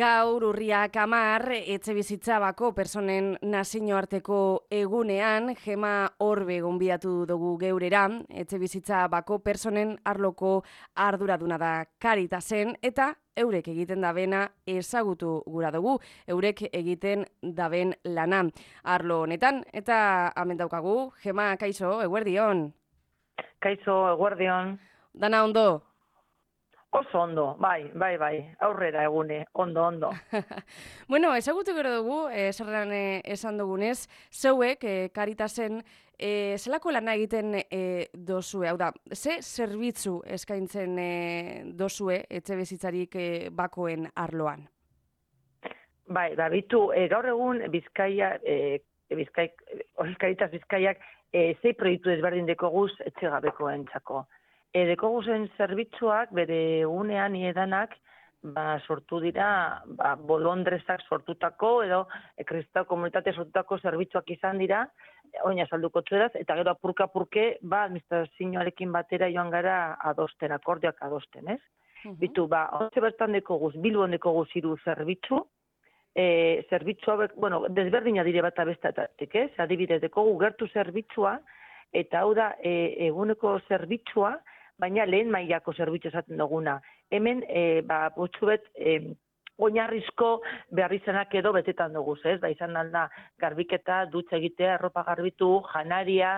Gaur urriak 10 etxebizitza bako personen nazioarteko egunean Gema Orbe gonbidatu dugu geurera. Etxebizitza bako personen arloko arduraduna da Caritasen eta eurek egiten dabena ezagutu gura dugu, eurek egiten daben lana. Arlo honetan eta hemen daukagu Gema, kaixo, eguerdion. Kaixo, eguerdion. Dana ondo? Oso ondo, bai, aurrera egune, ondo. Bueno, ezagutu gero dugu, zerran esan dugunez, zeuek, Caritasen, zelako lana egiten dozue, hau da, ze zerbitzu eskaintzen dozue etxebizitzarik bakoen arloan? Bai, bitu, gaur egun Caritas Bizkaiak zei proiektu ezberdin dekoguz etxegabekoen txako. Dekoguzen zerbitzuak bere egunean edanak sortu dira bolondrezak sortutako edo kristau komunitate sortutako zerbitzuak izan dira, oina salduko txueraz, eta gero apurka-apurke administrazioarekin batera joan gara adosten, akordioak adosten, ez? Bitu, ontze bertan dekoguz, Bilbon dekoguz 3 zerbitzu, zerbitzu hauek, desberdina dire bat abestatik, ez? Adibidez, dekogu gertu zerbitzua, eta hau da eguneko zerbitzua, baina lehen mailako zerbitzu esaten duguna. Hemen, potxubet, oinarrizko beharrizanak edo betetan duguz, ez? Izan alda, garbiketa, dutxa egitea, arropa garbitu, janaria,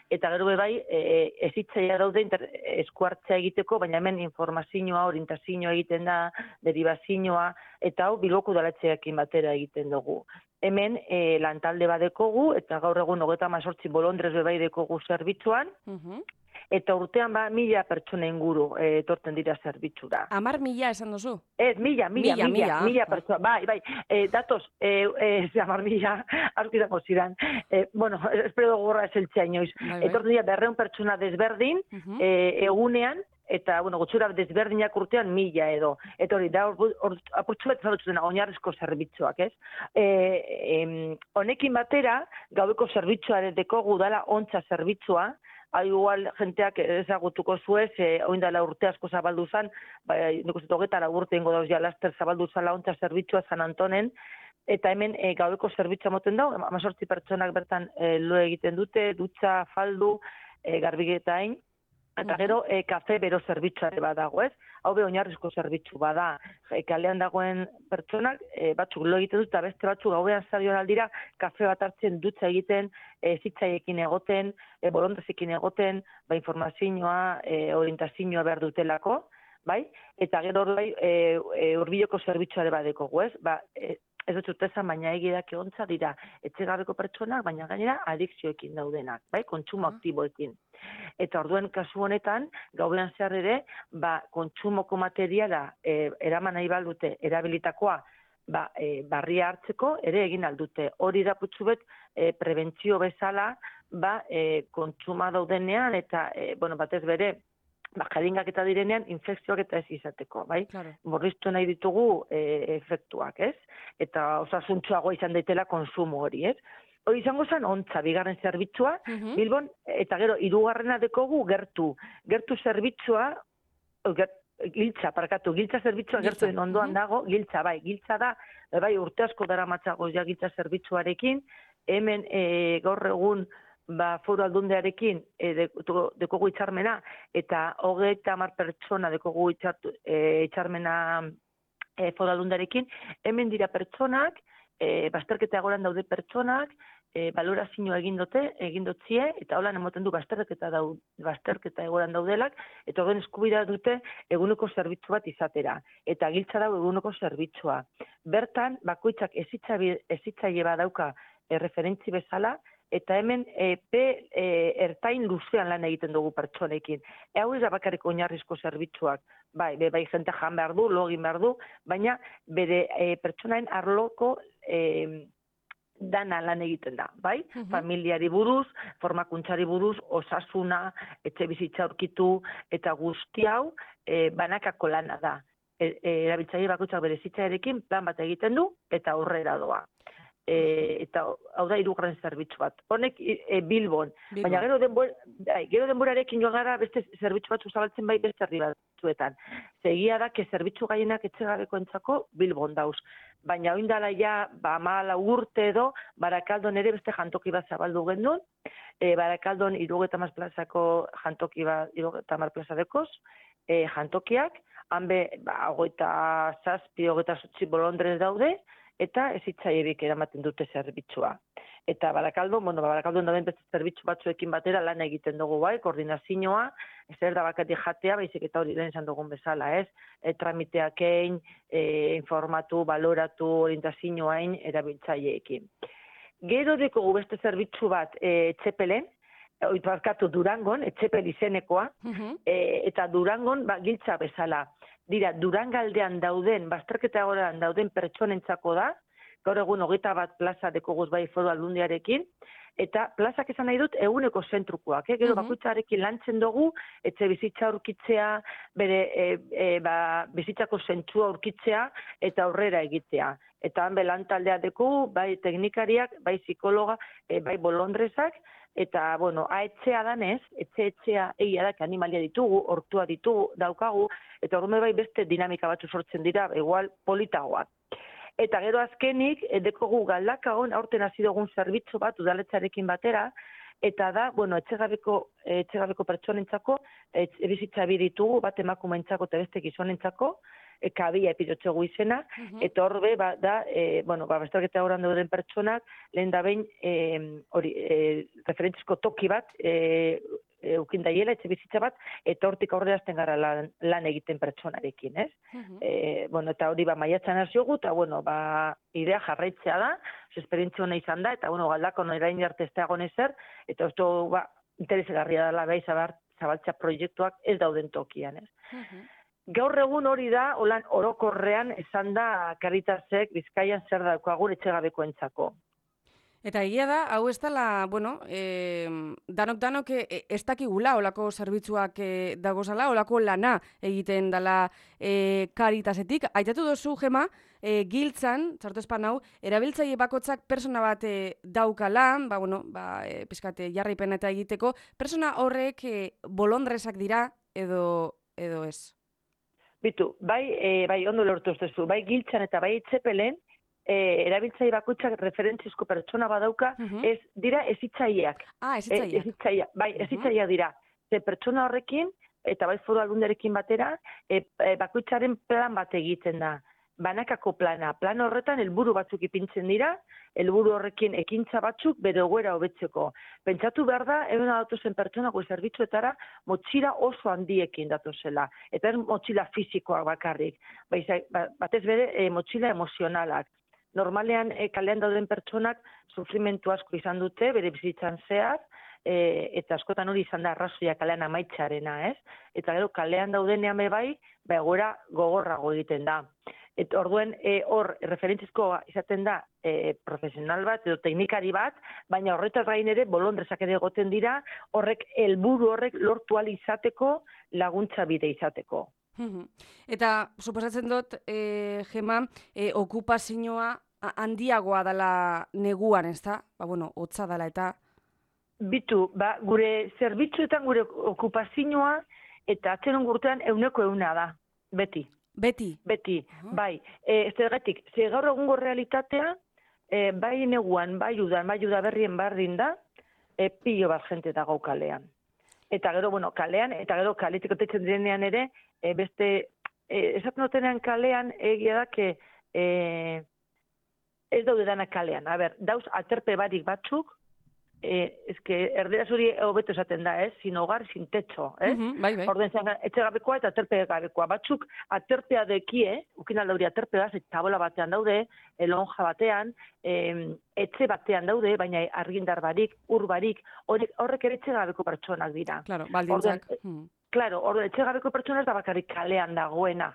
eta gero bai, ezitzaia daude eskuartzea egiteko, baina hemen informazioa, orientazioa egiten da, derivazioa, eta hau Bilboko udaletxeekin batera egiten dugu. Hemen lantalde badekogu, eta gaur egun 38 bolondrez bai dekogu zerbitzuan, eta urtean 1000 pertsona inguru etortzen dira zerbitzura. 10.000 esan duzu? Ez, 1000 pertsona, bai, datoz, 10.000, aurkizango zidan. Espero gogorra eseltzea inoiz. Etortzen dira 200 pertsona desberdin, egunean, eta, gutxura desberdinak urtean 1000 edo. Eta hori, da, apurtzu bat zaudetzu dena, oinarrizko zerbitzuak, ez? Honekin batera, gaueko zerbitzuare dekogu dala ontsa zerbitzua, igual jenteak ezagutuko zuez, oindala urte asko zabaldu zan, nik uste 24 urte ingo dauz ja laster zabaldu zala ontsa zerbitzua San Antonen, eta hemen gaueko zerbitzua moten dau, 18 pertsonak bertan lo egiten dute, dutxa, faldu, garbiketain, eta gero kafe bero zerbitzare badago, ez? Hau oinarrizko zerbitzu bada. Kalean dagoen pertsonak, batzuk lo egiten dut, eta beste batzuk gauean zarion aldira, kafe bat hartzen dutxa egiten, zitzaiekin egoten, bolondazekin egoten, informazioa, orientazioa behar dutelako, bai? Eta gero hori hurbileko zerbitzuare badeko, ez? Ez dut zurtezan, baina egidak egontza dira etxegabeko pertsonak, baina gainera adikzioekin daudenak, bai, kontsumo aktiboekin. Eta orduen kasu honetan, gauean zehar ere, kontsumoko materiala eraman nahi baldute erabilitakoa barria hartzeko ere egin aldute. Hori da putxubet prebentzio bezala kontsuma daudenean eta batez bere jaringak eta direnean infekzioak eta ez izateko, bai? Borriztu nahi ditugu efektuak, ez? Eta osasuntsuagoa izan daitela konsumo hori, ez? Hori izango zen ontza, bigarren zerbitzua, Bilbon, eta gero, 3. dekogu gertu. Gertu zerbitzua, giltza zerbitzua gertu ondoan dago, giltza da, urte asko dara matzagoz ja giltza zerbitzuarekin, hemen gaur egun foru aldundearekin dekogu itxarmena, eta 30 pertsona dekogu itxarmena foru aldundearekin, hemen dira pertsonak, bazterketa egoran daude pertsonak, balorazioa egin dotzie, eta holan emoten du bazterketa egoran daudelak, eta horren eskubidea dute eguneko zerbitzu bat izatera. Eta giltza dago eguneko zerbitzua. Bertan, bakoitzak ezitzaile badauka referentzi bezala, eta hemen ertain luzean lan egiten dugu pertsonekin. Hau ez da bakarrik oinarrizko zerbitzuak, bai jente jan behar du, login behar du, baina bere pertsonaen arloko dana lan egiten da, bai? Familiari buruz, formakuntzari buruz, osasuna, etxe bizitza aurkitu, eta guzti hau banakako lana da. Erabiltzaile bakoitzak bere zitzarekin plan bat egiten du, eta aurrera doa. eta hau da 3. zerbitzu bat. Honek Bilbon. Baina gero denborarekin joan gara beste zerbitzu batzu zabaltzen bai beste herri batzuetan. Egia da, zerbitzu gehienak etxegabekoentzako Bilbon dauz. Baina oindala ja, 14 urte edo, Barakaldon ere beste jantoki bat zabaldu gendun. Barakaldon 30 plazako jantoki bat, 30 plaza dekoz, jantokiak, hanbe 27 bolondrez daude, eta ezitzaierik eramaten dute zerbitzua. Eta Barakaldon dauden beste zerbitzu batzuekin batera lan egiten dugu bai, koordinazioa, ez da bakatik jatea, baizik eta hori lehen izan dugun bezala, ez? Tramiteak egin, informatu, baloratu, orientazioain, erabiltzaileekin. Gero dekogu beste zerbitzu bat Etxepelen, Durangon, Etxepel izenekoa, eta Durangon giltza bezala. Dira, Durangaldean dauden, bazterketa goran dauden pertsonentzako da, gaur egun 21 plaza dekoguz bai foru aldundiarekin, eta plazak esan nahi dut eguneko zentrukoak. Gero bakoitzarekin lantzen dugu, etxe bizitza aurkitzea, bere bizitzako zentzua aurkitzea, eta aurrera egitea. Eta han belan taldea deku, bai teknikariak, bai psikologa, bai bolondrezak, eta, aetxea danez, etxea egia da, animalia ditugu, hortua ditugu, daukagu, eta horme bai beste dinamika batzu sortzen dira, igual politagoak. Eta gero azkenik, dekogu Galdakaon, aurten hasi dugun zerbitzu bat, udaletxarekin batera, eta da, etxegabeko pertsonentzako, bizitza bi ditugu, bat emakumeentzako eta beste gizonentzako, kabia epidotxegu izena, eta horbe, bazterketa horan dauden pertsonak, lehen da behin, referentzizko toki bat, eukin daiela, etxe bizitza bat, eta hortik aurrera azten gara lan egiten pertsonarekin, ez? Eta hori maiatzan haziogu, eta idea jarraitzea da, esperientzia hona izan da, eta Galdakon erain arte ez da egon ezer, eta ez du interesegarria dela bai zabaltza proiektuak ez dauden tokian, ez? Gaur egun hori da, orokorrean esan da Caritasek Bizkaian zer daukagun etxegabekoentzako. Eta egia da, hau ez dela, danok ez dakigula olako zerbitzuak dagozala, olako lana egiten dela Caritasetik. Aitatu dozu, Gema, giltzan, txartu espan hau, erabiltzaile bakotzak persona bat daukala, pizkate jarraipen eta egiteko, persona horrek bolondrezak dira edo ez? Bitu, bai ondo lortu ustezu, bai giltzan eta bai Etxepelen, erabiltzaile bakoitzak referentzizko pertsona badauka, ez dira ezitzaileak. Ezitzaileak. Bai, ezitzaileak dira. Pertsona horrekin, eta bai foru aldundiarekin batera, bakoitzaren plan bat egiten da. Banakako plana. Plan horretan helburu batzuk ipintzen dira, helburu horrekin ekintza batzuk bere egoera hobetzeko. Pentsatu behar da, egun datozen pertsonako zerbitzuetara motxila oso handiekin datozela. Eta ez motxila fisikoak bakarrik. Batez bere motxila emozionalak. Normalean kalean dauden pertsonak sufrimentu asko izan dute, bere bizitzan zehar, eta askotan hori izan da arrazoia kalean amaitxarena, ez? Eta gero kalean daudenean bai, egoera gogorrago egiten da. Eta orduen hor referentzizkoa izaten da profesional bat edo teknikari bat, baina horretaz gain ere bolondrezak ere egoten dira, horrek helburu horrek lortu ahal izateko laguntza bide izateko. Eta suposatzen dut, Gema, okupazioa handiagoa dela neguan, ez da? Hotza dela eta... Bitu, gure zerbitzuetan gure okupazioa eta atzeron gurtean 100% da, beti. Beti? Beti, bai. Zergatik, gaur egungo realitatea, bai neguan, bai udaberrien bardin da, pilo bat jente dago kalean. Eta gero, kalean, eta gero kaletik otetzen direnean ere, beste, esaten dutenean kalean, egia da, ez daude danak kalean. Dauz, aterpe barik batzuk, erderaz hori hobeto esaten da, sin hogar, sin techo, Orden zen, etxegabekoa eta aterpe gabekoa. Batzuk aterpea dekie, ukin aldauri aterpea, tabola batean daude, lonja batean, etxe batean daude, baina argindar barik, ur barik, horrek ere etxegabeko pertsonak dira. Claro, baldintzak. Claro, etxegabeko pertsona ez da bakarrik kalean dagoena.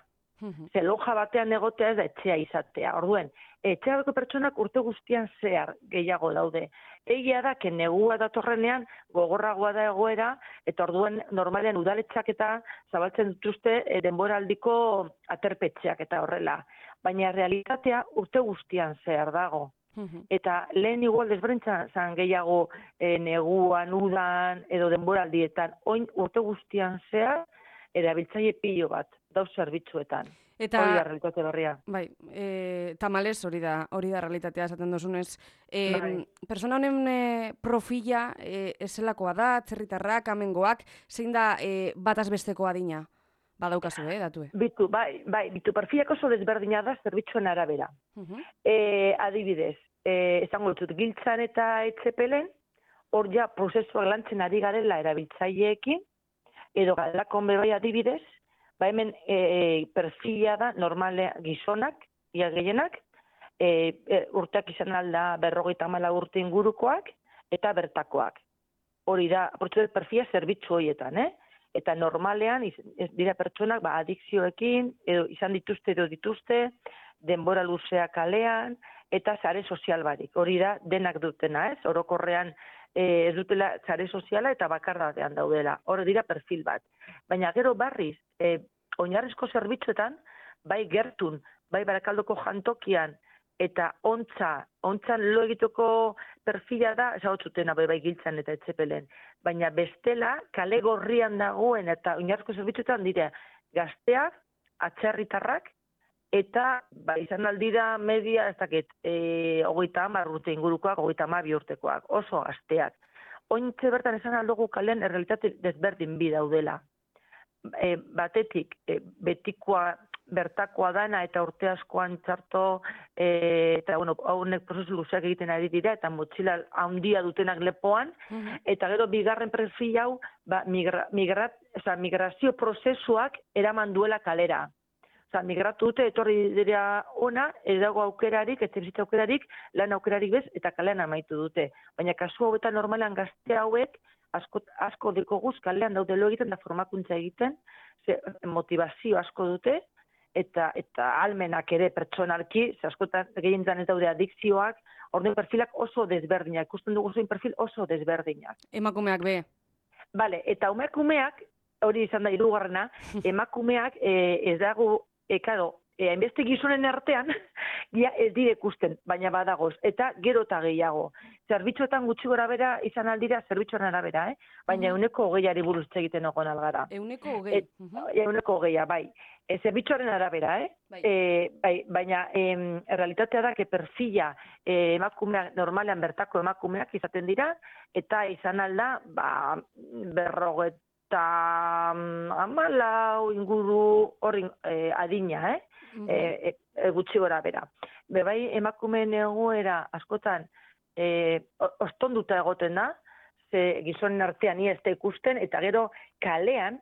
Lonja batean egotea ez da etxea izatea. Orduen, etxeagabeko pertsonak urte guztian zehar gehiago daude. Egia da, negua datorrenean gogorragoa da egoera, eta orduen normalean udaletxak eta zabaltzen dituzte denboraldiko aterpetxeak eta horrela. Baina realitatea urte guztian zehar dago. Eta lehen igual desberdintzen zan gehiago neguan, udan, edo denboraldietan, oin urte guztian zehar, erabiltzaile pilo bat, dauz zerbitzuetan. Eta, hori da realitate berria. Bai, tamalez hori da realitatea esaten duzunez. Persona honen profila eselakoa da, atzerritarrak, amengoak, zein da bataz besteko adina? Badaukazu, datue? Bitu perfilak oso desberdina da zerbitzuen arabera. Adibidez, esango dut, giltzan eta etzepelen, hor ja prozesuak lantzen ari garela erabiltzaileekin, edo galdakon bebai adibidez, hemen perfila da normale gizonak, ia gehienak, urteak izan alda 54 urte ingurukoak eta bertakoak. Hori da, perfila zerbitzu horietan, Eta normalean dira pertsonak adikzioekin, edo izan dituzte, denbora luzea kalean, eta sare sozial barik. Hori da, denak dutena, orokorrean ez dutela sare soziala eta bakardadean daudela. Hori dira perfil bat. Baina gero barriz, oinarrizko zerbitzuetan, bai gertun, bai Barakaldoko jantokian, eta ontzan lo egiteko perfila da, ezagutzutena bai giltzan eta etzepelen. Baina bestela, kale gorrian dagoen eta oinarrizko zerbitzuetan dira gazteak, atzerritarrak, eta izan aldira media, ez dakit, 30 urte ingurukoak, 32 urtekoak, oso gazteak. Ointze bertan esan aldugu kalean errealitate desberdin bi daudela. Batetik, betikoa, bertakoa dana eta urte askoan txarto, eta haunek prozesu luzeak egiten ari dira, eta motxila handia dutenak lepoan, eta gero bigarren perfil hau, migrazio prozesuak eraman duela kalera. Migratu dute, etorri dira ona, ez dago aukerarik, etxebizitza aukerarik, lan aukerarik bez, eta kalean amaitu dute. Baina kasu hauetan normalean gazte hauek, asko dekoguz kalean daude lo egiten da formakuntza egiten, motivazio asko dute, eta almenak ere pertsonalki, askotan gehientzan ez daude adikzioak, orden perfilak oso desberdinak, ikusten dugu zuen perfil oso desberdinak. Emakumeak be. Bale, eta emakumeak, hori izan da hirugarrena, emakumeak ez dago, hainbeste gizonen artean, ez dire ikusten, baina badagoz, eta gero eta gehiago. Zerbitzuetan gutxi gora bera izan aldira, zerbitzuaren arabera, baina 120 buruz egiten ogon algara. 120? 120, bai. Zerbitzuaren arabera, baina realitatea da, perfila emakumeak, normalean bertako emakumeak izaten dira, eta izan alda, 54 inguru hori adina, gutxi gora bera. Bebai emakumeen egoera askotan ostonduta egoten da, ze gizonen artean ez da ikusten, eta gero kalean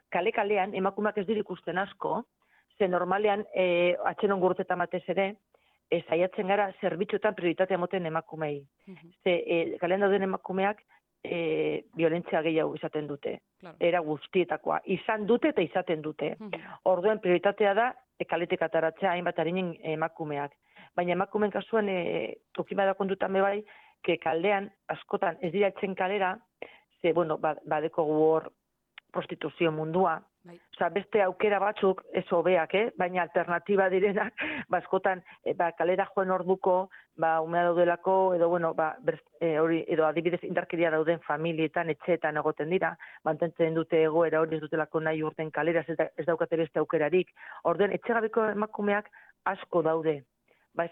emakumeak ez dira ikusten asko, ze normalean atxenon gurtetan batez ere, saiatzen gara zerbitzuetan prioritatea moten emakumei. Ze kalean dauden emakumeak violentzia gehiago izaten dute. Era guztietakoa. Izan dute eta izaten dute. Orduen prioritatea da kaletik ataratzea hainbat harinen emakumeak. Baina emakumeen kasuan tokima da kontutan bebai, kaldean askotan ez dira etzen kalera, ze, badeko hor prostituzio mundua. Beste aukera batzuk, ez hobeak, baina alternatiba direnak, askotan kalera joen orduko, umea daudelako, edo adibidez indarkeria dauden familietan, etxeetan egoten dira, mantentzen dute egoera hori ez dutelako nahi urten kalera, ez daukate beste aukerarik. Orden, etxegabeko emakumeak asko daude.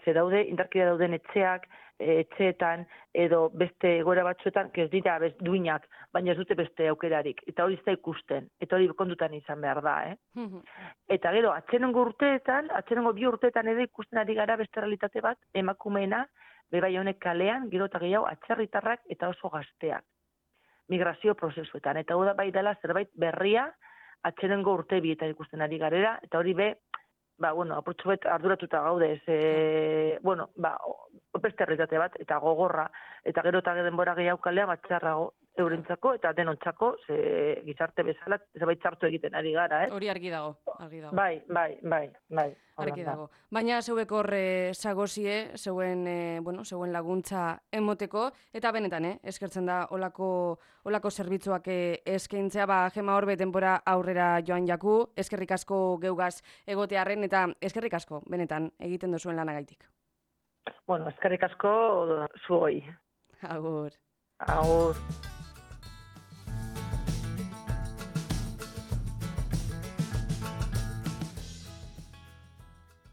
Ze daude, indarkeria dauden etxeetan, edo beste egoera batzuetan, ez dira duinak, baina ez dute beste aukerarik. Eta hori ez da ikusten, eta hori kontutan izan behar da, Eta gero, atxenongo bi urteetan edo ikusten ari gara beste realitate bat, emakumeena, bebai honek kalean, gero eta gehiago, atzerritarrak eta oso gazteak. Migrazio prozesuetan. Eta hori da bai dela zerbait berria, atxenongo urte bietan ikusten ari garera, eta hori apurtxo bet arduratuta gaude, beste realitate bat, eta gogorra, eta gero eta denbora gehiago kalea batxarrago eurentzako, eta denontzako, gizarte bezala, zerbait txartu egiten ari gara, Hori argi dago. Bai. Argi dago. Baina zeuek hor sagozie, zeuen laguntza emoteko, eta benetan, eskertzen da olako zerbitzuak eskaintzea, Gema Orbe denbora aurrera joan jaku, eskerrik asko geugaz egotearren, eta eskerrik asko, benetan, egiten duzuen lanagaitik. Bueno, eskerrik asko zuoi. Agur. Agur.